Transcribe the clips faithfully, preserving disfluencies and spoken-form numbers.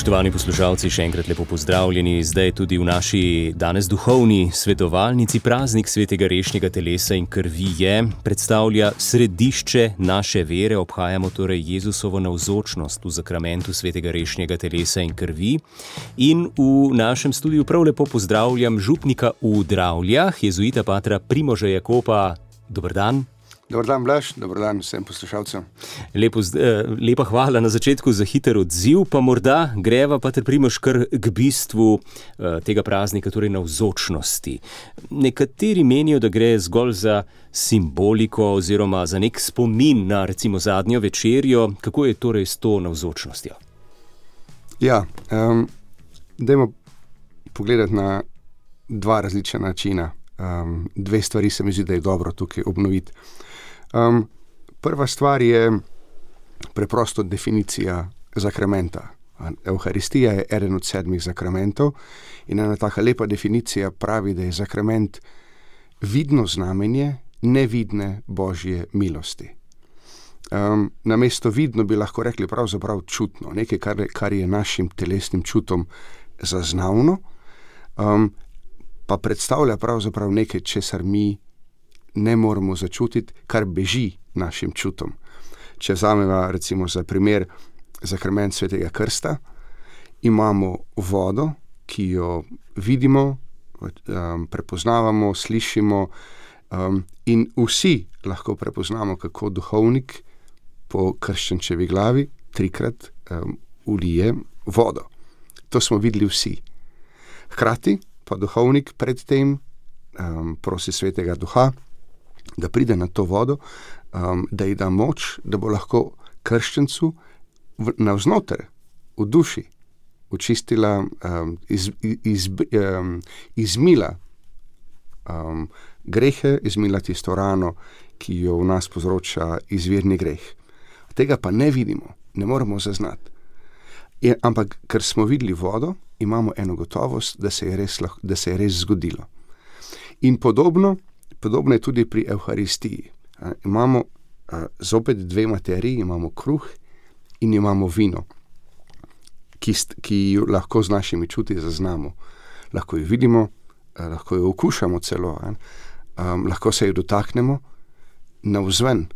Spoštovani poslušalci, še enkrat lepo pozdravljeni. Zdaj tudi v naši danes duhovni svetovalnici praznik svetega rešnjega telesa in krvi je, predstavlja središče naše vere. Obhajamo torej Jezusovo navzočnost v zakramentu svetega rešnjega telesa in krvi. In v našem studiu prav lepo pozdravljam župnika v Dravljah, jezuita patra Primoža Jakopa. Dober dan. Dobar dan, Blaž, dobar dan vsem poslušalcem. Lepo, lepa hvala na začetku za hiter odziv, pa morda greva, pater Primož, kar k bistvu tega praznika, torej navzočnosti. Nekateri menijo, da gre zgolj za simboliko oziroma za nek spomin na recimo zadnjo večerjo. Kako je torej s to navzočnostjo? Ja, um, dajmo pogledati na dva različna načina. Um, dve stvari se mi zdi, da je dobro tukaj obnoviti. Um, prva stvar je preprosto definicija zakramenta. Evharistija je eden od sedmih zakramentov in ena taka lepa definicija pravi, da je zakrament vidno znamenje nevidne Božje milosti. Um, namesto vidno bi lahko rekli pravzaprav čutno, nekaj, kar, kar je našim telesnim čutom zaznavno, um, pa predstavlja pravzaprav nekaj, česar mi ne moremo začutiti, kar beži našim čutom. Če vzameva recimo za primer zakrament svetega krsta, imamo vodo, ki jo vidimo, um, prepoznavamo, slišimo um, in vsi lahko prepoznamo, kako duhovnik po krščančevi glavi trikrat um, ulije vodo. To smo videli vsi. Hkrati pa duhovnik predtem um, prosi svetega duha, da pride na to vodo, um, da ji da moč, da bo lahko krščancu v, navznoter, v duši, očistila, um, iz, iz, um, izmila um, grehe, izmila tisto rano, ki jo v nas povzroča izvirni greh. Tega pa ne vidimo, ne moremo zaznati. Je, ampak, ker smo videli vodo, imamo eno gotovost, da se je res, da se je res zgodilo. In podobno, podobno je tudi pri Evharistiji. A, imamo a, zopet dve materiji, imamo kruh in imamo vino, ki, ki jo lahko z našimi čuti zaznamo. Lahko jo vidimo, a, lahko jo okušamo celo, a, a, lahko se jo dotaknemo navzven.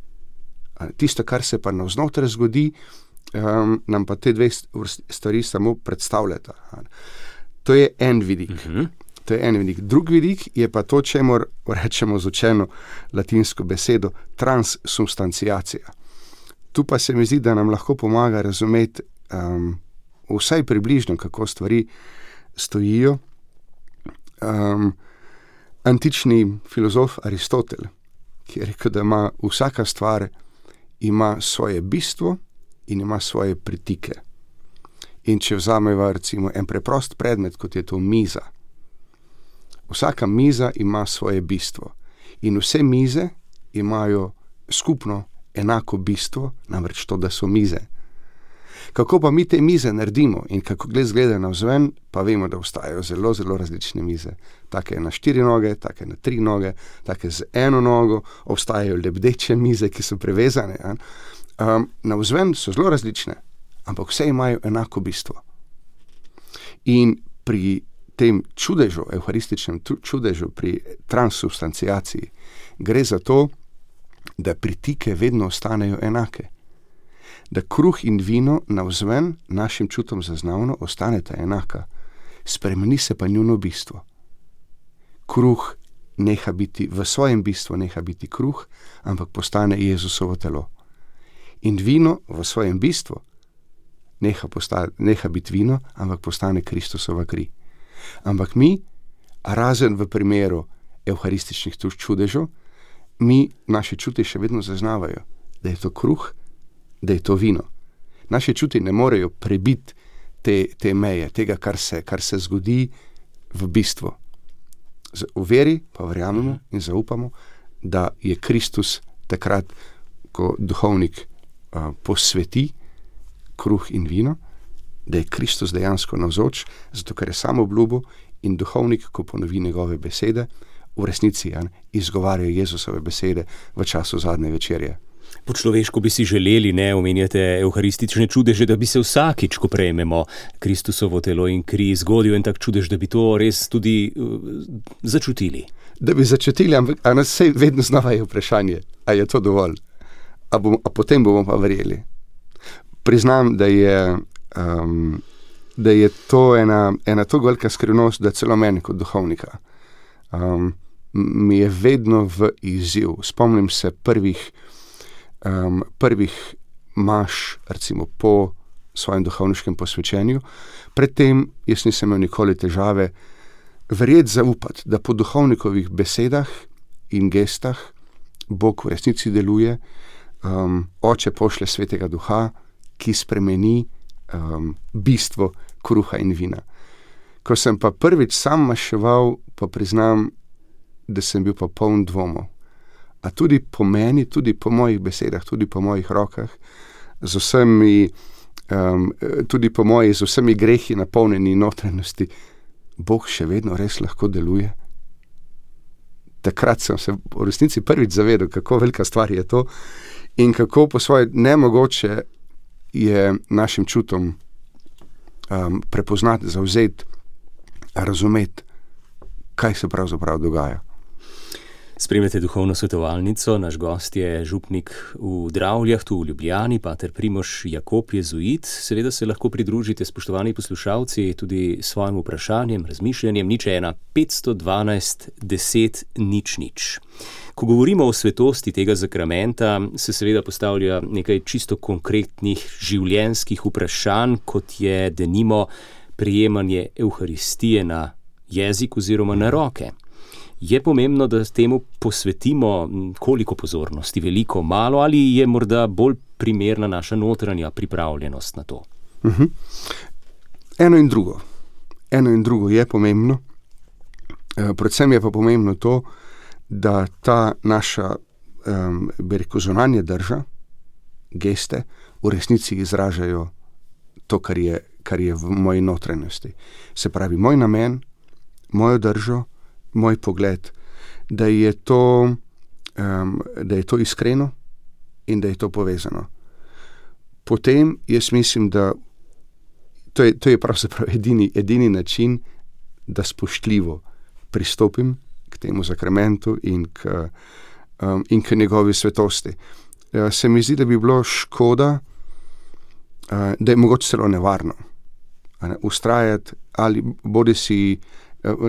A, tisto, kar se pa navznoter zgodi, Um, nam pa te dve stvari samo predstavljata. To je en vidik. Uh-huh. To je en vidik. Drug vidik je pa to, čemur rečemo z učeno latinsko besedo transsubstanciacija. Tu pa se mi zdi, da nam lahko pomaga razumeti um, vsaj približno, kako stvari stojijo. Um, antični filozof Aristotel, ki je rekel, da ima vsaka stvar ima svoje bistvo in ima svoje pritike. In če vzameva recimo en preprost predmet, kot je to miza, vsaka miza ima svoje bistvo in vse mize imajo skupno enako bistvo, namreč to, da so mize. Kako pa mi te mize naredimo in kako gled zgleda navzven, pa vemo, da obstajajo zelo, zelo različne mize. Take na štiri noge, take na tri noge, take z eno nogo, obstajajo lebdeče mize, ki so prevezane. Ja? Um, navzven so zelo različne, ampak vse imajo enako bistvo. In pri tem čudežu, evharističnem čudežu, pri transsubstanciaciji, gre za to, da pritike vedno ostanejo enake. Da kruh in vino navzven našim čutom zaznavno ostaneta enaka, spremeni se pa njuno bistvo. Kruh neha biti, v svojem bistvu neha biti kruh, ampak postane Jezusovo telo. In vino v svojem bistvu neha, posta, neha biti vino, ampak postane Kristusova kri. Ampak mi, razen v primeru evharističnih čudežev, mi naše čuti še vedno zaznavajo, da je to kruh, da je to vino. Naše čuti ne morejo prebiti te, te meje, tega, kar se, kar se zgodi v bistvu. V veri pa verjamemo in zaupamo, da je Kristus takrat, ko duhovnik posveti kruh in vino, da je Kristus dejansko navzoč, zato ker je sam obljubil in duhovnik, ko ponovi njegove besede, v resnici ja, izgovarjajo Jezusove besede v času zadnje večerje. Po človeško bi si želeli, ne, omenjate evharistične čudeže, da bi se vsakič, ko prejmemo Kristusovo telo in kri, zgodil en tak čudež, da bi to res tudi uh, začutili. Da bi začutili, ampak a nas vse vedno znova je vprašanje, a je to dovolj, a, bom, a potem bomo pa verjeli. Priznam, da je, um, da je to ena, ena to velika skrivnost, da celo meni kot duhovnika um, mi je vedno v izziv. Spomnim se prvih Um, prvih maš, recimo po svojem duhovniškem posvečenju. Predtem jaz nisem imel nikoli težave verjeti, zaupati, da po duhovnikovih besedah in gestah Bog v resnici deluje, um, Oče pošlje Svetega Duha, ki spremeni um, bistvo kruha in vina. Ko sem pa prvič sam maševal, pa priznam, da sem bil pa poln dvomov. A tudi po meni, tudi po mojih besedah, tudi po mojih rokah, z vsemi, um, tudi po moji, z vsemi grehi napolnjeni notranjosti, Bog še vedno res lahko deluje. Takrat sem se v resnici prvič zavedel, kako velika stvar je to in kako po svoje nemogoče je našim čutom um, prepoznati, zavzeti, razumeti, kaj se pravzaprav dogaja. Spremljate duhovno svetovalnico, naš gost je župnik v Dravljah, tu v Ljubljani, pater Primož Jakob, jezuit. Seveda se lahko pridružite, spoštovani poslušalci, tudi s svojim vprašanjem, razmišljanjem, nič ena, petsto dvanajst, deset, nič nič. Ko govorimo o svetosti tega zakramenta, se seveda postavlja nekaj čisto konkretnih življenjskih vprašanj, kot je denimo prejemanje evharistije na jezik oziroma na roke. Je pomembno, da temu posvetimo koliko pozornosti, veliko, malo, ali je morda bolj primerna naša notranja pripravljenost na to? Uh-huh. Eno in drugo. Eno in drugo je pomembno. E, predvsem je pa pomembno to, da ta naša, um, bi rekel, zunanja drža, geste, v resnici izražajo to, kar je, kar je v moji notranjosti. Se pravi, moj namen, mojo držo, moj pogled, da je to, um, da je to iskreno in da je to povezano. Potem jaz mislim, da to je, to je pravzaprav edini, edini način, da spoštljivo pristopim k temu zakramentu in k, um, in k njegovi svetosti. Uh, se mi zdi, da bi bilo škoda, uh, da je mogoče celo nevarno ne, ustrajati ali bodi si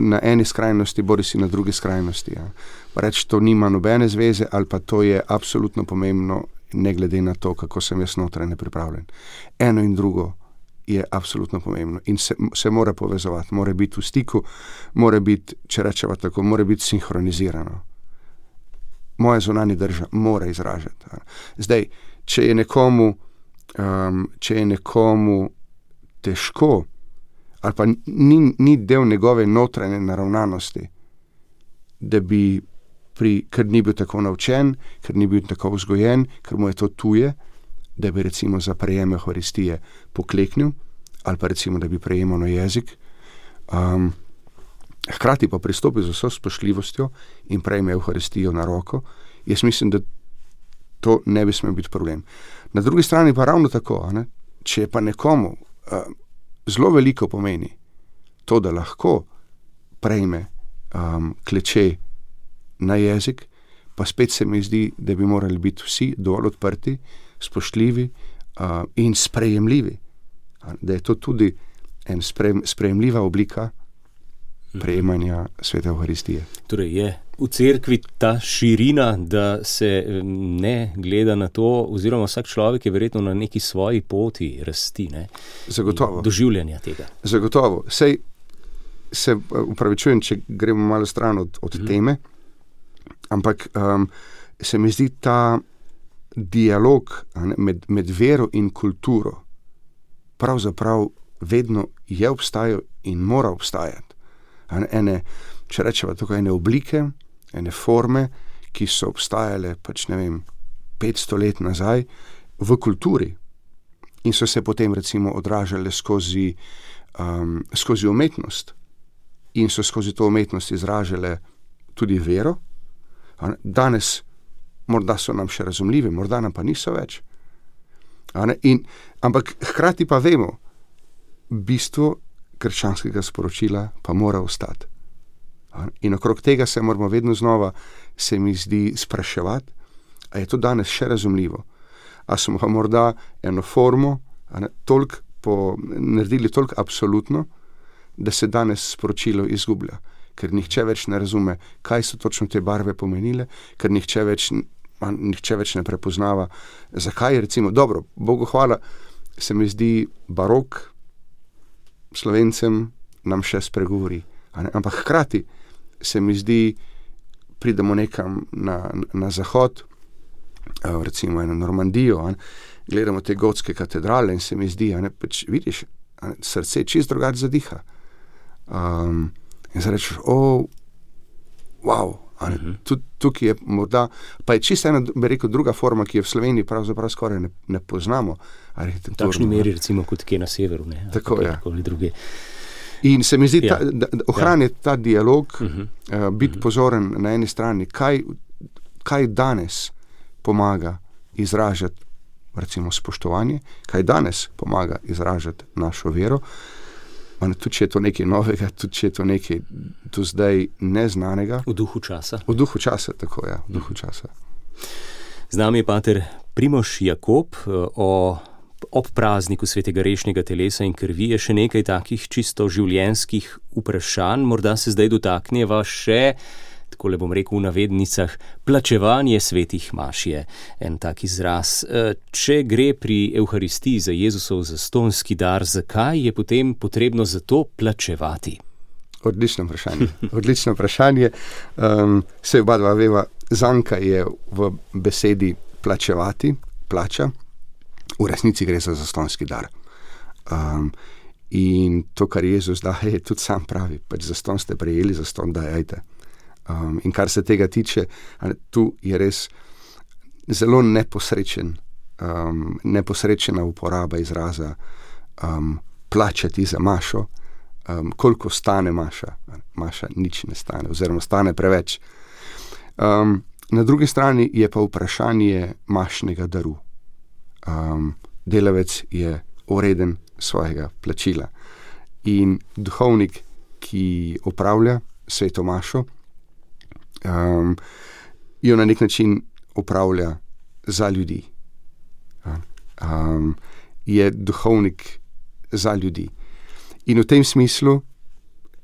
na eni skrajnosti, bodi si na drugi skrajnosti. Ja. Reči, to nima nobene zveze, ali pa to je absolutno pomembno, ne glede na to, kako sem jaz notranje pripravljen. Eno in drugo je absolutno pomembno in se, se mora povezovati, mora biti v stiku, mora biti, če rečeva tako, mora biti sinhronizirano. Moja zunanja drža mora izražati. Ja. Zdaj, če je nekomu, um, če je nekomu težko, ali pa ni, ni del njegove notranje naravnanosti, da bi, pri, ker ni bil tako naučen, ker ni bil tako vzgojen, ker mu je to tuje, da bi recimo za prejem evharistije pokleknil, ali pa recimo, da bi prejemal na jezik, um, hkrati pa pristopi z vso spoštljivostjo in prejme evharistijo na roko, jaz mislim, da to ne bi smel biti problem. Na drugi strani pa ravno tako, ne? Če je pa nekomu uh, zelo veliko pomeni to, da lahko prejme um, kleče na jezik, pa spet se mi zdi, da bi morali biti vsi dovolj odprti, spoštljivi uh, in sprejemljivi. Da je to tudi en sprejem, sprejemljiva oblika prejemanja svete evharistije. Torej je v cerkvi ta širina, da se ne gleda na to, oziroma vsak človek je verjetno na neki svoji poti rasti, ne? Zagotovo. Doživljanja tega. Zagotovo. Sej se upravičujem, če gremo malo stran od, od mm. teme, ampak um, se mi zdi ta dialog ne, med, med vero in kulturo pravzaprav vedno je obstajal in mora obstajati. Ene, če rečeva tukaj, ene oblike, ene forme, ki so obstajale pač ne vem, petsto let nazaj v kulturi in so se potem recimo odražale skozi, um, skozi umetnost in so skozi to umetnost izražale tudi vero. Danes morda so nam še razumljivi, morda nam pa niso več. In, ampak hkrati pa vemo, bistvo krščanskega sporočila pa mora ostati. In okrog tega se moramo vedno znova, se mi zdi, spraševati, a je to danes še razumljivo. A smo pa morda eno formo toliko po, naredili toliko absolutno, da se danes sporočilo izgublja. Ker nihče več ne razume, kaj so točno te barve pomenile, ker nihče več, nihče več ne prepoznava, zakaj je recimo, dobro, Bogu hvala, se mi zdi barok Slovencem nam še spregovori. Ampak hkrati se mi zdi, pridemo nekam na, na zahod, recimo eno Normandijo, gledamo te gotske katedrale in se mi zdi, ne, pač vidiš, ne, srce čist drugače zadiha. Um, in zdaj rečeš, o, wow, uh-huh. Tukaj je morda, pa je čisto ena, bi rekel, druga forma, ki je v Sloveniji pravzaprav skoraj ne, ne poznamo. V takšni meri, recimo, kot kje na severu, ne? Tako, ja. Druge. In se mi zdi, ja. ta, da, da ohraniti ja. ta dialog, uh-huh. uh, biti uh-huh. pozoren na eni strani, kaj, kaj danes pomaga izražati, recimo, spoštovanje, kaj danes pomaga izražati našo vero, Man, tudi če je to nekaj novega, tudi če je to nekaj do zdaj neznanega. V duhu časa. V duhu časa, tako ja, v duhu časa. Z nami je pater Primož Jakob. O, ob prazniku svetega rešnjega telesa in krvi je še nekaj takih čisto življenjskih vprašanj. Morda se zdaj dotakneva še, tako le bom rekel v navednicah, plačevanje svetih maš je en tak izraz. Če gre pri Evharistiji za Jezusov zastonski dar, zakaj je potem potrebno za to plačevati? Odlično vprašanje. Odlično vprašanje. Um, se oba dva veva, zanka je v besedi plačevati, plača. V resnici gre za zastonski dar. Um, in to, kar Jezus daje, tudi sam pravi, pač zaston ste prejeli, zaston dajajte. Um, in kar se tega tiče, tu je res zelo neposrečen, um, neposrečena uporaba izraza um, plačati za mašo, um, koliko stane maša. Maša nič ne stane, oziroma stane preveč. Um, na drugi strani je pa vprašanje mašnega daru. Um, delavec je ureden svojega plačila. In duhovnik, ki opravlja sveto mašo, Um, jo na nek način upravlja za ljudi. Um, je duhovnik za ljudi. In v tem smislu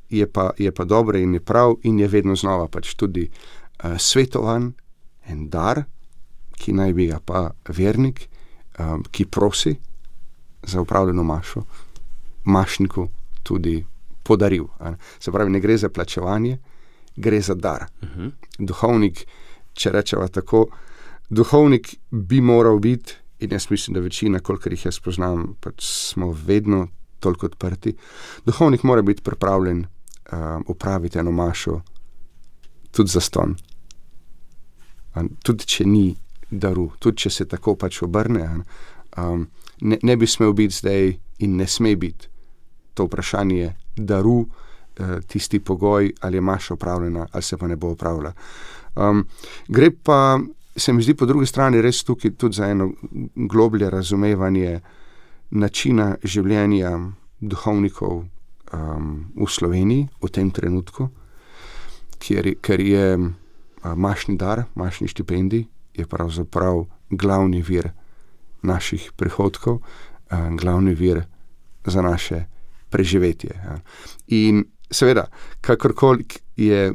je pa, je pa dobro in je prav in je vedno znova pač tudi uh, svetovan en dar, ki naj bi ga pa vernik, um, ki prosi za upravljeno mašo, mašniku tudi podaril. Se pravi, ne gre za plačevanje, gre za dar. Uh-huh. Duhovnik, če rečeva tako, duhovnik bi moral biti, in jaz mislim, da večina, kolikor jih jaz poznam, pač smo vedno toliko odprti, duhovnik mora biti pripravljen um, upraviti eno mašo tudi zastonj. Tudi če ni daru, tudi če se tako pač obrne, um, ne, ne bi smel biti zdaj in ne sme biti to vprašanje daru, tisti pogoj, ali je maša opravljena, ali se pa ne bo opravila. Um, gre pa, se mi zdi po drugi strani res tukaj tudi za eno globlje razumevanje načina življenja duhovnikov um, v Sloveniji v tem trenutku, kjer, ker je uh, mašni dar, mašni štipendij, je pravzaprav glavni vir naših prihodkov, uh, glavni vir za naše preživetje. Ja. In seveda, kakorkoli je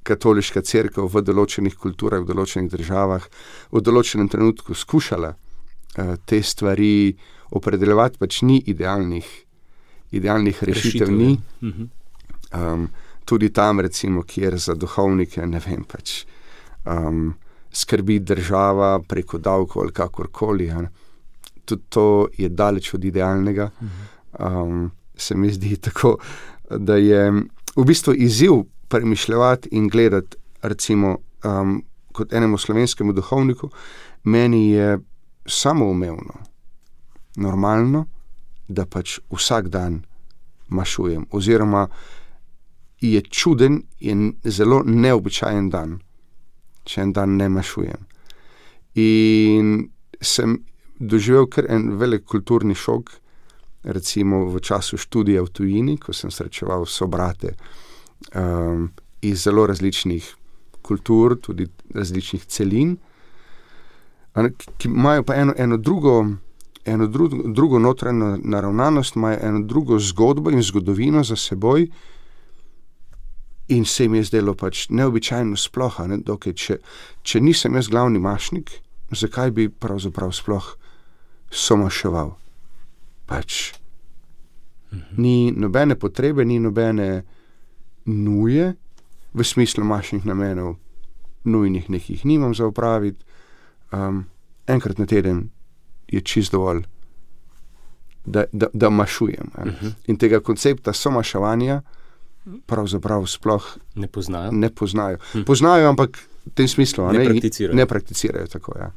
katoliška cerkev v določenih kulturah, v določenih državah, v določenem trenutku skušala uh, te stvari opredeljevati, pač ni idealnih, idealnih rešitev, rešitev ni. Uh-huh. Um, tudi tam, recimo, kjer za duhovnike, ne vem, pač um, skrbi država preko davkov ali kakorkoli. Ja. Tudi to je daleč od idealnega. Uh-huh. Um, se mi zdi tako, da je v bistvu izziv premišljati in gledati, recimo, um, kot enemu slovenskemu duhovniku, meni je samoumevno, normalno, da pač vsak dan mašujem, oziroma je čuden in zelo neobičajen dan, če en dan ne mašujem. In sem doživel kar en velik kulturni šok, recimo v času študija v tujini, ko sem srečeval sobrate um, iz zelo različnih kultur, tudi različnih celin, ki imajo pa eno, eno drugo, eno drugo, drugo notranjo naravnanost, imajo eno drugo zgodbo in zgodovino za seboj in se mi je zdelo pač neobičajno sploh, ne, dokaj, če, če nisem jaz glavni mašnik, zakaj bi pravzaprav sploh somaševal? Pač mhm. ni nobene potrebe, ni nobene nuje, v smislu mašnih namenov, nujnih nekih nimam za opraviti. Um, enkrat na teden je čist dovolj, da, da, da mašujem. Uh-huh. In tega koncepta somaševanja pravzaprav sploh ne poznajo. Ne poznajo. Uh-huh. Poznajo, ampak v tem smislu ne, ne, prakticirajo. ne prakticirajo tako, ja.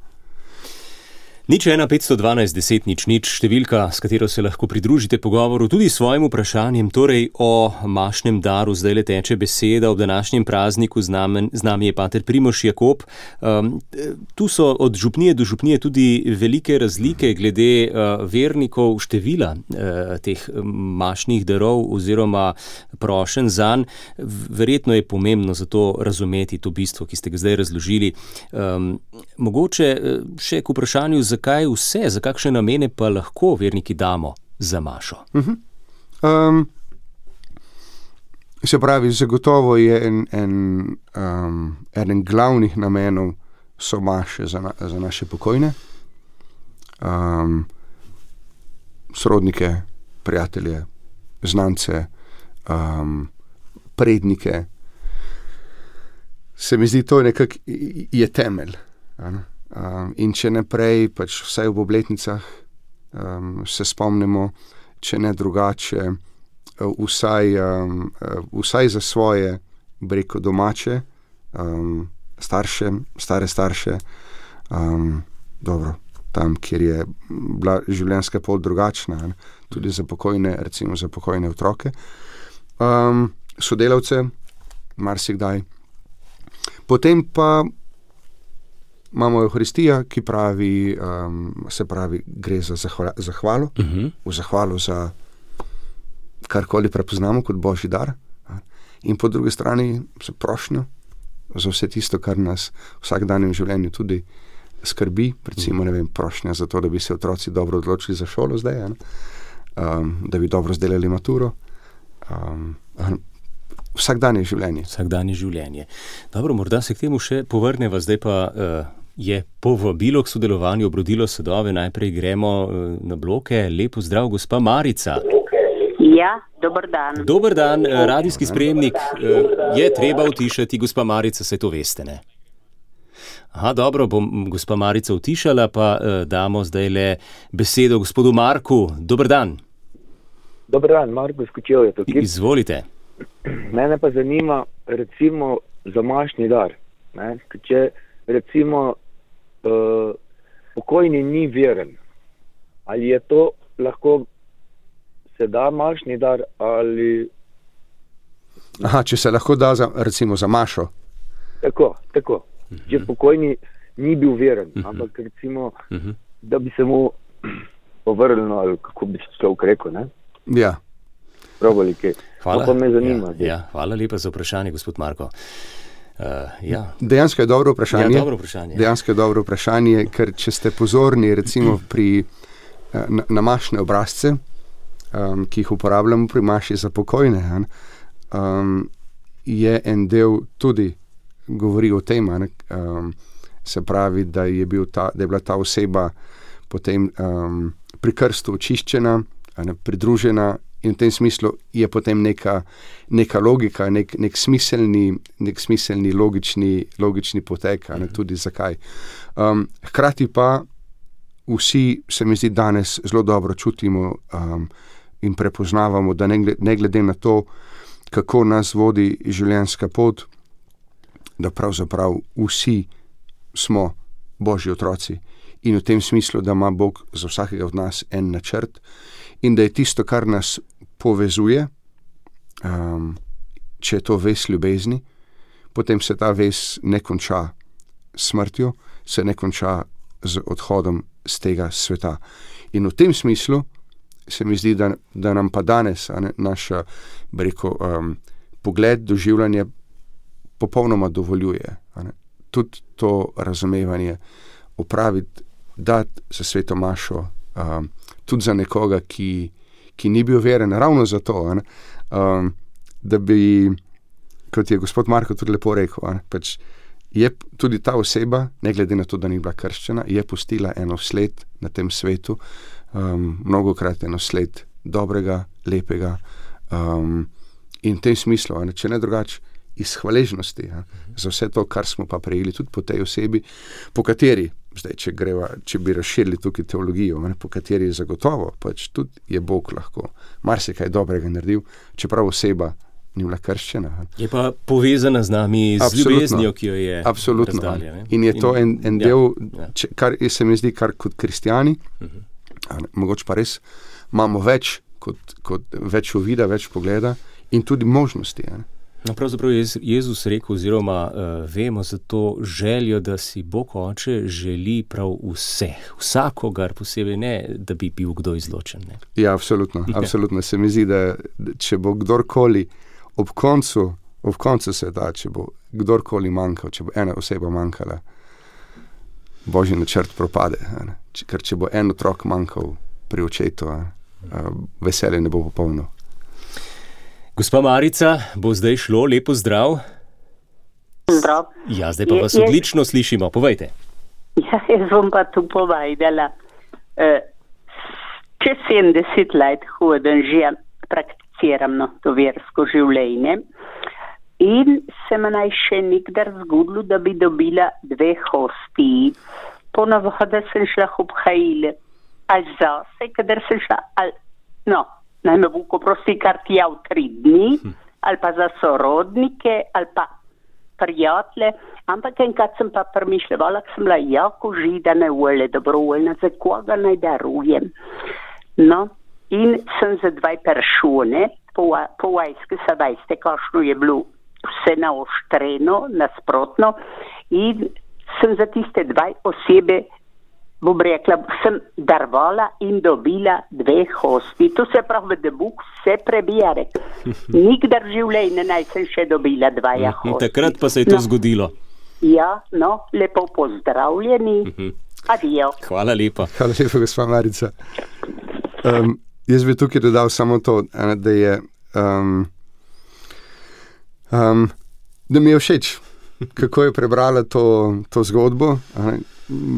Nič ena petsto dvanajst deset nič nič, številka, s katero se lahko pridružite pogovoru tudi s svojim vprašanjem, torej o mašnem daru. Zdaj le teče beseda ob današnjem prazniku, z nami, z nami je pater Primož Jakob. Um, tu so od župnije do župnije tudi velike razlike glede uh, vernikov števila uh, teh mašnih darov oziroma prošenj zanj. Verjetno je pomembno za to razumeti to bistvo, ki ste ga zdaj razložili. Um, mogoče še k vprašanju, zakaj vse, za kakšne namene pa lahko verniki damo za mašo? Uh-huh. Um, se pravi, zagotovo je en, en, um, eden glavnih namenov so maše za, na, za naše pokojne, um, sorodnike, prijatelje, znance, um, prednike. Se mi zdi, to nekako je temelj. Ano? Um, in če ne prej, pač vsaj v obletnicah um, se spomnimo, če ne drugače, vsaj, um, vsaj za svoje, breko domače, um, starše, stare starše, um, dobro, tam, kjer je bila življenjska pot drugačna, ne? Tudi za pokojne, recimo za pokojne otroke, um, sodelavce, marsikdaj. Potem pa imamo Evharistija, ki pravi, um, se pravi, gre za zahvala, zahvalo, uh-huh. v zahvalo za karkoli prepoznamo kot Božji dar. In po drugi strani za prošnjo, za vse tisto, kar nas v vsakdanjem življenju tudi skrbi, recimo, ne vem, prošnja za to, da bi se otroci dobro odločili za šolo zdaj, um, da bi dobro zdelali maturo. Um, vsakdanje življenje. Vsakdanje življenje. Dobro, morda se k temu še povrneva, zdaj pa uh, je povabilo k sodelovanju obrodilo sadove. Najprej gremo uh, na bloke. Lep pozdrav, gospa Marica. Ja, dober dan. Dober dan, radijski sprejemnik uh, je treba utišati, gospa Marica, se to veste, ne? Aha, dobro, bom gospa Marica utišala, pa uh, damo zdaj le besedo gospodu Marku. Dober dan. Dober dan, Marko Skočev je tukaj. Izvolite. Mene pa zanima, recimo, za mašni dar. Ne? Če recimo uh, pokojni ni veren, ali je to lahko se da mašni dar ali... Aha, če se lahko da za, recimo za mašo. Tako, tako. Uh-huh. Če pokojni ni bil veren, uh-huh. ampak recimo, uh-huh. da bi se mu povrljeno, ali kako bi se človek rekel, ne? Ja. Probali kaj. Hvala. To me zanima. Ja, ja, hvala lepa za vprašanje, gospod Marko. Uh, ja. Dejansko je dobro vprašanje. Ja, dobro vprašanje. Dejansko je dobro vprašanje, ker če ste pozorni recimo pri na, na mašne obrazce, um, ki jih uporabljamo pri maši za pokojne, um, je en del tudi govori o tem, um, se pravi, da je, bil ta, da je bila ta oseba potem um, pri krstu očiščena, ne, pridružena. In v tem smislu je potem neka, neka logika, nek, nek smiselni, nek smiselni logični, logični potek, ne, tudi zakaj. Um, hkrati pa vsi, se mi zdi, danes zelo dobro čutimo um, in prepoznavamo, da ne glede, ne glede na to, kako nas vodi življenjska pot, da pravzaprav vsi smo Božji otroci. In v tem smislu, da ima Bog za vsakega od nas en načrt in da je tisto, kar nas povezuje, um, če je to vez ljubezni, potem se ta vez ne konča smrtjo, se ne konča z odhodom z tega sveta. In v tem smislu se mi zdi, da, da nam pa danes ne, naš rekel, um, pogled, doživljanje popolnoma dovoljuje. Ne. Tudi to razumevanje opraviti, dati za sveto mašo, um, tudi za nekoga, ki, ki ni bil veren, ravno zato, ne, um, da bi, kot je gospod Marko tudi lepo rekel, ne, pač je tudi ta oseba, ne glede na to, da ni bila krščena, je pustila eno sled na tem svetu, um, mnogokrat eno sled dobrega, lepega, um, in v tem smislu, ne, če ne drugače, iz hvaležnosti ja, za vse to, kar smo pa prejeli tudi po tej osebi, po kateri, zdaj, če, greva, če bi razširili tukaj teologijo, ne, po kateri je zagotovo, pač tudi je Bog lahko marsikaj dobrega naredil, čeprav oseba ni bila krščena. Je pa povezana z nami z Absolutno. ljubeznijo, ki jo je Absolutno. razdalja. Ne? In je to en, en ja, del, ja. če, kar se mi zdi, kar kot kristjani, Uh-huh. ne, mogoče pa res imamo več, kot, kot več uvida, več pogleda in tudi možnosti. Ne. No, pravzaprav je Jezus rekel, oziroma uh, vemo za to željo, da si Bog Oče želi prav vseh, vsakogar posebej, ne, da bi bil kdo izločen. Ne? Ja, absolutno, absolutno. Se mi zdi, da, da če bo kdorkoli ob koncu, ob koncu sveta, če bo kdorkoli manjkal, če bo ena oseba manjkala, Božji načrt propade. Ne? Ker če bo en otrok manjkal pri očetu, uh, veselje ne bo popolno. Gospa Marica, bo zdaj šlo, lepo zdrav. Zdrav. Ja, zdaj pa Je- vas je- odlično slišimo, povejte. Ja, jaz bom pa tu povedala. Uh, čez sedemdeset let hodim že, prakticiram no, to versko življenje in se mi naj še nikdar zgodilo, da bi dobila dve hostiji. Ponavadi sem šla ob hajile, ali zase, kadar sem šla, ali, no, naj me Bog oprosti, kar tja v tri dni, ali pa za sorodnike, ali pa prijatelje, ampak enkrat sem pa premišljala, ko sem bila jako židana, vole dobrovoljna, za koga naj darujem. No, in sem za dvaj peršone, po, po vajske se veste, kakšno je bilo vse naoštreno, nasprotno, in sem za tiste dvaj osebe, bom rekla, sem darvala in dobila dve hosti. To se pravi, da Bog vse prebijare. Nikdar v življenju naj sem še dobila dvaja hosti. Takrat pa se je to no, zgodilo. Ja, no, lepo pozdravljeni. Adijo. Hvala lepa. Hvala lepa, gospa Marica. Um, jaz bi tukaj dodal samo to, ene, da je um, um, da mi je všeč, kako je prebrala to, to zgodbo. Ene,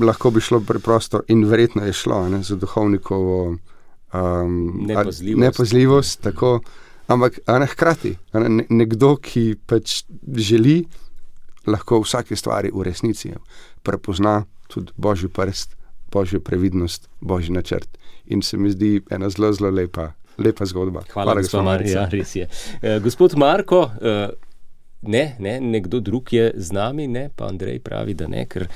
lahko bi šlo preprosto in verjetno je šlo ene, za duhovnikovo um, Nepazljivost. nepazljivost tako, ampak ene, hkrati ene, nekdo, ki pač želi, lahko vsake stvari v resnici prepozna tudi Božji prst, Božjo previdnost, Božji načrt. In se mi zdi ena zelo, zelo lepa, lepa zgodba. Hvala, Hvala gospod Marica. Ja, res je. Uh, gospod Marko, uh, ne, ne, nekdo drug je z nami, ne, pa Andrej pravi, da ne, ker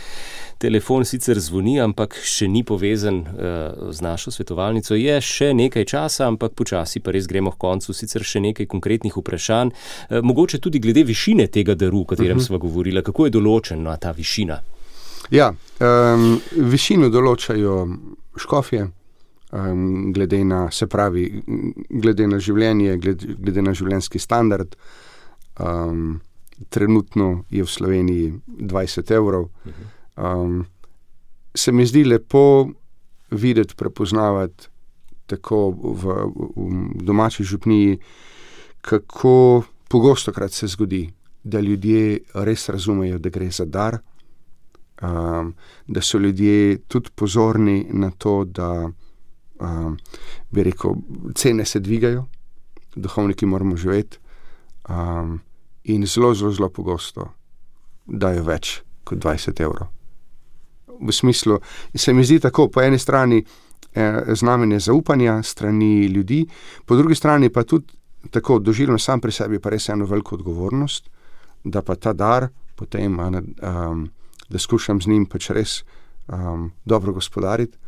telefon sicer zvoni, ampak še ni povezan uh, z našo svetovalnico. Je še nekaj časa, ampak počasi pa res gremo k koncu, sicer še nekaj konkretnih vprašanj. Uh, mogoče tudi glede višine tega daru, o katerem uh-huh. sva govorila. Kako je določena ta višina? Ja, um, višino določajo škofje, um, glede na, se pravi, glede na življenje, glede, glede na življenjski standard. Um, trenutno je v Sloveniji dvajset evrov. Um, se mi zdi lepo videti, prepoznavati tako v, v domači župniji, kako pogostokrat se zgodi, da ljudje res razumejo, da gre za dar, um, da so ljudje tudi pozorni na to, da um, bi rekel, cene se dvigajo, duhovniki moramo živeti. Um, in zelo, zelo, zelo pogosto dajo več kot dvajset evrov. V smislu, se mi zdi tako, po eni strani eh, znamenje zaupanja strani ljudi, po drugi strani pa tudi tako doživljam sam pri sebi pa res eno veliko odgovornost, da pa ta dar potem, um, da skušam z njim pač res um, dobro gospodariti,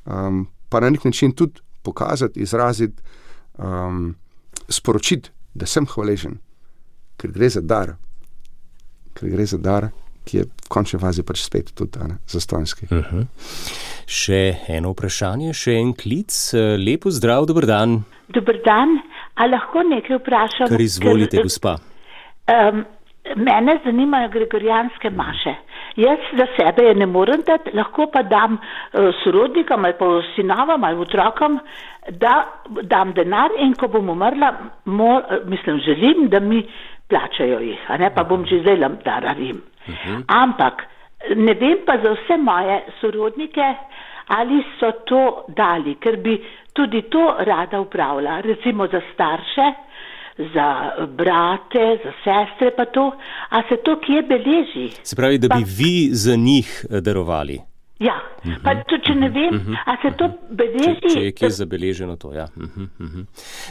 um, pa na nek način tudi pokazati, izraziti, um, sporočiti, da sem hvaležen, ker gre za dar, ker gre za dar, ki je v končni fazi pač spet tudi ne, zastonjski. Uh-huh. Še eno vprašanje, še en klic. Lepo zdrav, dober dan. Dober dan, a lahko nekaj vprašam? Kar izvolite, ker, gospa. Um, mene zanimajo gregorijanske maše. Jaz za sebe je ne morem dati, lahko pa dam uh, sorodnikom ali pa sinovam ali otrokom, da dam denar in ko bom umrla, mor, mislim, želim, da mi plačajo jih, a ne pa bom že zdaj dararim. Uh-huh. Ampak ne vem pa za vse moje sorodnike, ali so to dali, ker bi tudi to rada upravila, recimo za starše, za brate, za sestre pa to, a se to kje beleži? Se pravi, da bi pa, vi za njih darovali? Ja, uh-huh. pa to, če ne vem, uh-huh. a se to beleži? Če, če je kje zabeleženo to, ja. Uh-huh, uh-huh.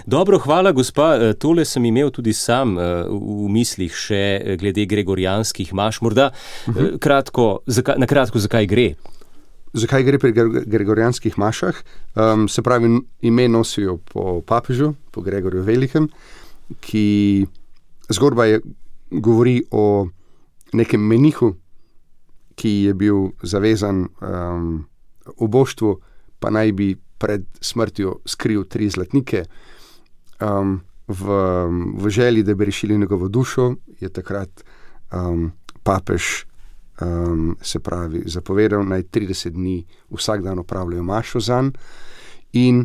Dobro, hvala, gospa. Tole sem imel tudi sam v mislih še glede gregorijanskih maš. Morda uh-huh. kratko, zaka, na kratko, zakaj gre? Zakaj gre pri gregorijanskih mašah? Um, se pravi, ime nosijo po papežu, po Gregorju Velikem, ki zgodba je, govori o nekem menihu, ki je bil zavezan um, oboštvu, pa naj bi pred smrtjo skril tri zlatnike. Um, v, v želji, da bi rešili njegovo dušo, je takrat um, papež um, se pravi zapovedal, naj trideset dni vsak dan opravljajo mašo zanj, in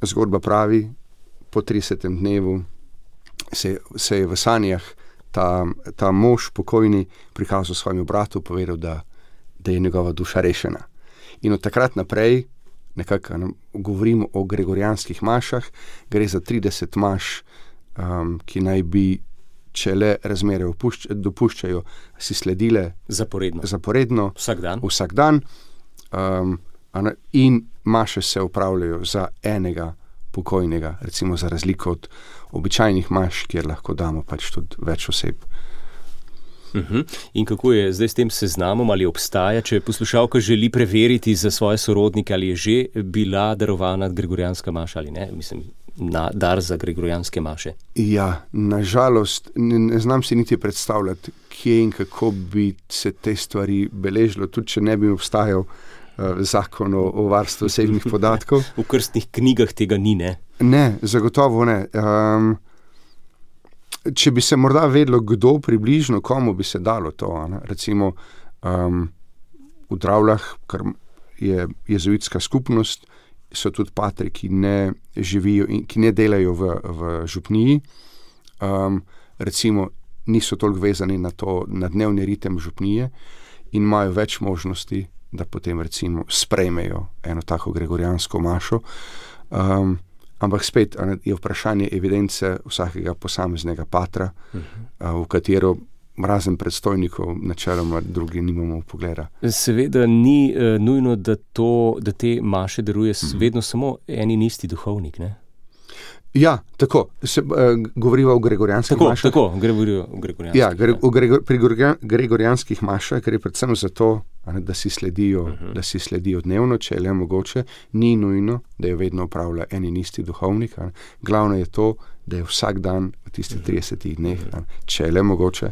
zgodba pravi, po tridesetem dnevu se, se je v sanjah ta, ta mož pokojni prikazal svojemu bratu, povedal, da da je njegova duša rešena. In od takrat naprej, nekako ne, govorimo o gregorijanskih mašah, gre za trideset maš, um, ki naj bi, če le razmere opušč, dopuščajo, si sledile zaporedno, zaporedno vsak dan, vsak dan um, ne, in maše se upravljajo za enega pokojnega, recimo za razliko od običajnih maš, kjer lahko damo pač tudi več oseb. Uh-huh. In kako je zdaj s tem seznamom, ali obstaja, če poslušalka želi preveriti za svoje sorodnike, ali je že bila darovana gregorijanska maša ali ne, mislim, na dar za gregorijanske maše? Ja, nažalost, ne, ne znam si niti predstavljati, kje in kako bi se te stvari beležilo, tudi če ne bi obstajal uh, zakon o, o varstvu osebnih podatkov. V krstnih knjigah tega ni, ne? Ne, zagotovo ne. Um, Če bi se morda vedelo, kdo približno, komu bi se dalo to, ne? Recimo um, v Dravljah, kar je jezuitska skupnost, so tudi patri, ki ne živijo in ki ne delajo v, v župniji, um, recimo niso toliko vezani na to, na dnevni ritem župnije in imajo več možnosti, da potem recimo sprejmejo eno tako gregorijansko mašo. Um, Ampak spet je vprašanje evidence vsakega posameznega patra, uh-huh. v katero razen predstojnikov načeloma drugi nimamo pogleda. Seveda ni uh, nujno, da, to, da te maše daruje uh-huh. vedno samo en in isti duhovnik, ne? Ja, tako. Se, uh, govoriva o gregorijanskih tako, mašah. Tako, govoriva o gregorijanskih. Ja, gre, o gregor, pri gregorijanskih mašah gre predvsem za to, da si sledijo, uh-huh. da si sledijo dnevno, če je le mogoče. Ni nujno, da jo vedno upravlja en in isti duhovnik. Ne. Glavno je to, da je vsak dan v tistih tridesetih dneh, ne, če je le mogoče,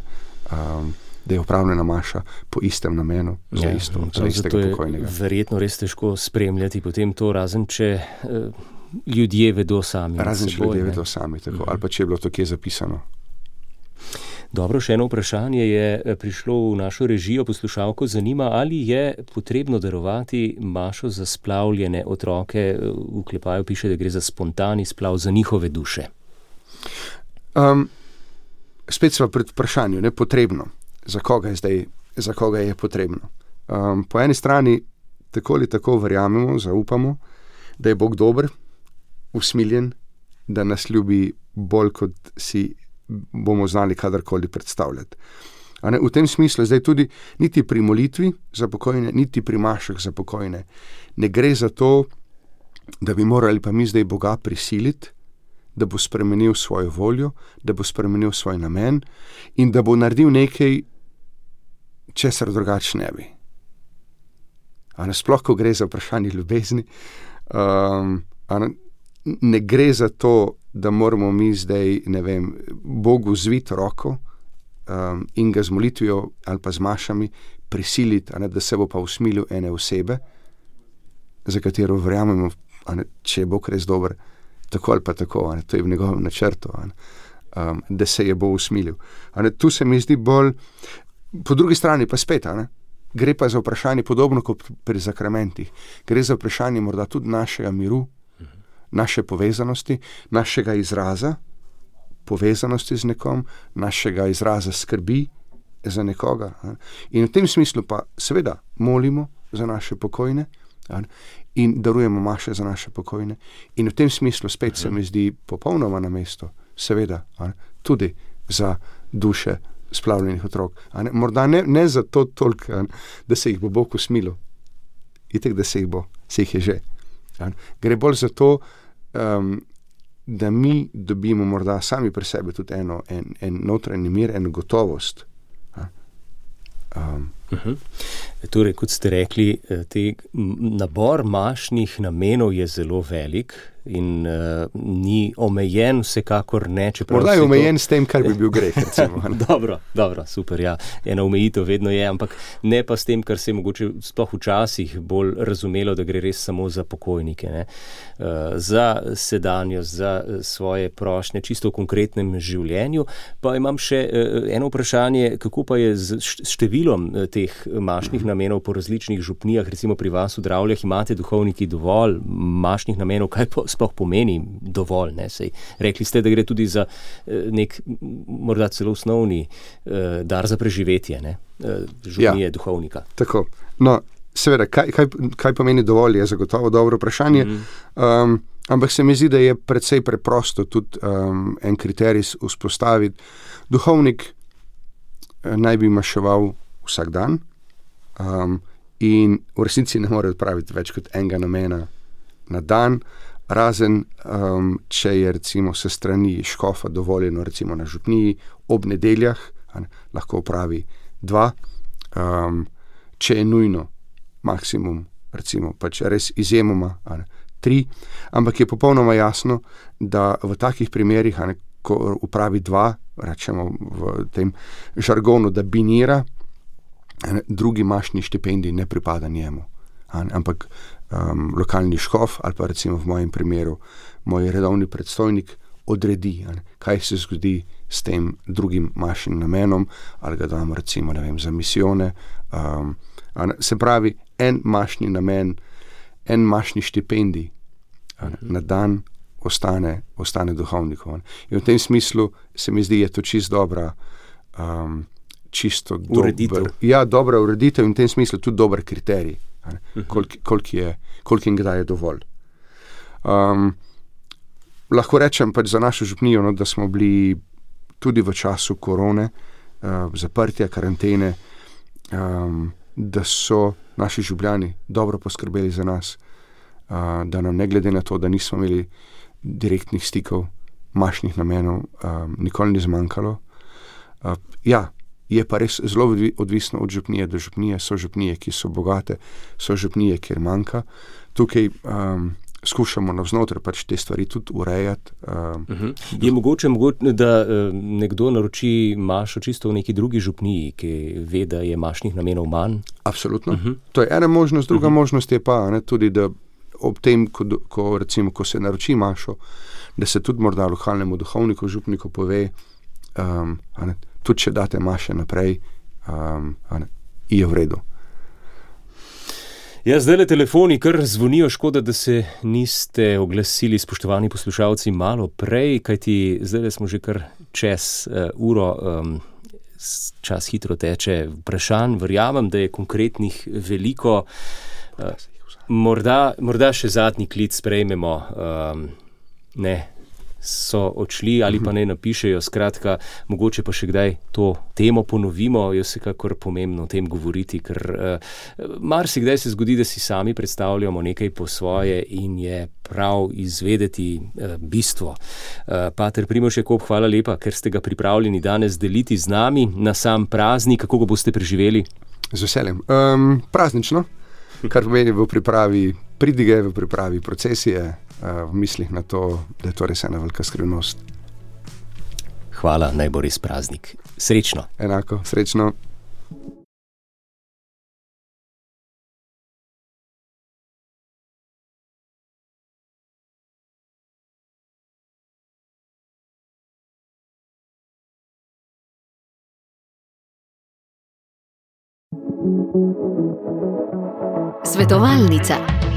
um, da je upravljena maša po istem namenu, za, ja, isto, za istega pokojnega. Verjetno res težko spremljati potem to, razen če uh, ljudje vedo sami. Razen če ljudje vedo sami, tako, uh-huh. ali pa če je bilo to kje zapisano. Dobro, še eno vprašanje je prišlo v našo režijo, poslušalko zanima, ali je potrebno darovati mašo za splavljene otroke, v klepaju piše, da gre za spontani splav za njihove duše. Um, spet sva pred vprašanjem, ne potrebno. Za koga je zdaj, za koga je potrebno? Um, po eni strani tako ali tako verjamemo, zaupamo, da je Bog dober, usmiljen, da nas ljubi bolj, kot si bomo znali kadarkoli predstavljati. A ne, v tem smislu zdaj tudi niti pri molitvi za pokojne, niti pri mašah za pokojne ne gre za to, da bi morali pa mi zdaj Boga prisiliti, da bo spremenil svojo voljo, da bo spremenil svoj namen in da bo naredil nekaj, česar drugače ne bi. A ne, sploh, ko gre za vprašanje ljubezni, um, a ne, ne gre za to, da moramo mi zdaj, ne vem, Bogu zviti roko, um, in ga z molitvijo ali pa z mašami prisiliti, a ne, da se bo pa usmilil ene osebe, za katero verjamemo, a ne, če je Bog res dober, tako ali pa tako, a ne, to je v njegovem načrtu, a ne, um, da se je bo usmilil. A ne, tu se mi zdi bolj, po drugi strani pa spet, a ne, gre pa za vprašanje podobno kot pri zakramentih. Gre za vprašanje morda tudi našega miru, naše povezanosti, našega izraza, povezanosti z nekom, našega izraza skrbi za nekoga. In v tem smislu pa seveda molimo za naše pokojne in darujemo maše za naše pokojne. In v tem smislu spet se mi zdi popolnoma na mesto, seveda, tudi za duše splavljenih otrok. Morda ne, ne zato toliko, da se jih bo Bog usmilil. Itek, da se jih bo, se jih je že. Gre bolj za to, um, da mi dobimo morda sami pri sebi tudi eno, en, en notranji mir, eno gotovost. Um. Uh-huh. Torej, kot ste rekli, te nabor mašnih namenov je zelo velik in uh, ni omejen, vsekakor ne. Morda je omejen to... s tem, kar bi bil greh, recimo. dobro, dobro, super, ja. Ena omejitev vedno je, ampak ne pa s tem, kar se je mogoče sploh včasih bolj razumelo, da gre res samo za pokojnike, ne. Uh, za sedanjost, za svoje prošnje, čisto v konkretnem življenju. Pa imam še uh, eno vprašanje, kako pa je z številom uh, teh mašnih namenov po različnih župnijah, recimo pri vas v Dravljah, imate duhovniki dovolj mašnih namenov, kaj po, sploh pomeni dovolj, ne, sej. Rekli ste, da gre tudi za nek, morda celo osnovni eh, dar za preživetje, ne, župnije, ja, duhovnika. Tako, no, seveda, kaj, kaj, kaj pomeni dovolj, je zagotovo dobro vprašanje, mm. um, ampak se mi zdi, da je precej preprosto tudi um, en kriterij vzpostaviti. Duhovnik eh, naj bi maševal vsak dan um, in v resnici ne more odpraviti več kot enega namena na dan, razen um, če je recimo se strani škofa dovoljeno recimo na župniji ob nedeljah, ne, lahko opravi dva, um, če je nujno maksimum recimo pač res izjemoma, ne, tri, ampak je popolnoma jasno, da v takih primerih, ne, ko upravi dva, rečemo v tem žargonu, da binira, drugi mašni štipendij ne pripada njemu, ampak um, lokalni škof ali pa recimo v mojem primeru moj redovni predstojnik odredi, kaj se zgodi s tem drugim mašnim namenom, ali ga damo recimo, ne vem, za misijone. Um, se pravi, en mašni namen, en mašni štipendij na dan ostane, ostane duhovnikov. In v tem smislu se mi zdi, je to čist dobra um, čisto ureditev. Dober, ja, dobra ureditev in v tem smislu tudi dober kriterij, koliko kolik je, koliko in kdaj je dovolj. Um, lahko rečem pač za našo župnijo, no, da smo bili tudi v času korone, uh, zaprtja, karantene, um, da so naši župljani dobro poskrbeli za nas, uh, da nam ne glede na to, da nismo imeli direktnih stikov, mašnih namenov, um, nikoli ni zmanjkalo. Uh, ja, je pa res zelo odvisno od župnije do župnije. So župnije, ki so bogate, so župnije, kjer manjka. Tukaj um, skušamo navznotraj pač te stvari tudi urejati. Um, uh-huh. Je mogoče, mogoče, da uh, nekdo naroči mašo čisto v neki drugi župniji, ki ve, da je mašnih namenov manj? Absolutno. Uh-huh. To je ena možnost. Druga uh-huh. možnost je pa, ne, tudi, da ob tem, ko, ko, recimo, ko se naroči mašo, da se tudi morda lokalnemu duhovniku, župniku pove, um, ne, tudi če date maše naprej, um, ne, je v redu. Ja, zdaj le telefoni kar zvonijo, škoda, da se niste oglasili, spoštovani poslušalci, malo prej, kajti zdaj smo že kar čez uh, uro, um, čas hitro teče, vprašanj, verjamem, da je konkretnih veliko. Uh, morda, morda še zadnji klic sprejmemo, um, ne, so odšli ali pa ne napišejo, skratka, mogoče pa še kdaj to temo ponovimo, je vsekakor pomembno o tem govoriti, ker uh, marsikdaj se zgodi, da si sami predstavljamo nekaj po svoje in je prav izvedeti uh, bistvo. Uh, Pater Primož Jakob, hvala lepa, ker ste ga pripravljeni danes deliti z nami na sam praznik. Kako ga boste preživeli? Z veseljem. Um, praznično, kar pomeni v pripravi pridige, v pripravi procesije, v mislih na to, da je to res ena velika skrivnost. Hvala, naj bo res praznik. Srečno. Enako, srečno. Svetovalnica.